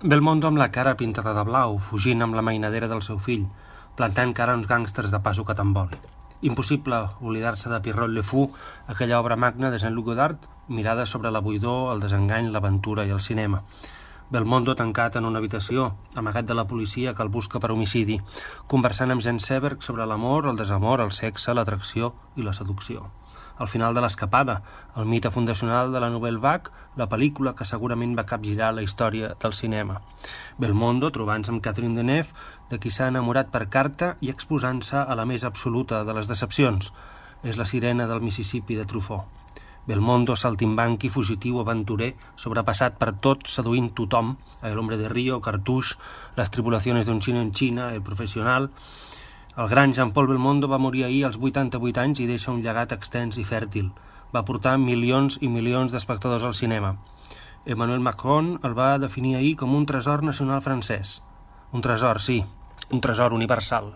Belmondo amb la cara pintada de blau, fugint amb la mainadera del seu fill, plantant cara a uns gàngsters de paso que tan vol. Impossible oblidar-se de Pierrot Le Fou, aquella obra magna de Jean-Luc Godard, mirada sobre la buidor, el desengany, l'aventura i el cinema. Belmondo tancat en una habitació, amagat de la policia que el busca per homicidi, conversant amb Jean Seberg sobre l'amor, el desamor, el sexe, l'atracció i la seducció. Al final de l'Escapada, el mite fundacional de la Nouvelle Vague, la pel·lícula que segurament va capgirar la història del cinema. Belmondo trobant-se amb Catherine Deneuve, de qui s'ha enamorat per carta i exposant-se a la més absoluta de les decepcions. És la sirena del Mississippi de Truffaut. Belmondo, saltimbanqui, fugitiu, aventurer, sobrepassat per tot, seduint tothom, El hombre de Rio, Cartouche, Les tribulaciones d'un xino en Xina, El professional. El gran Jean-Paul Belmondo va morir ahir als 88 anys i deixa un llegat extens i fèrtil. Va portar milions i milions d'espectadors al cinema. Emmanuel Macron el va definir ahir com un tresor nacional francès. Un tresor, sí, un tresor universal.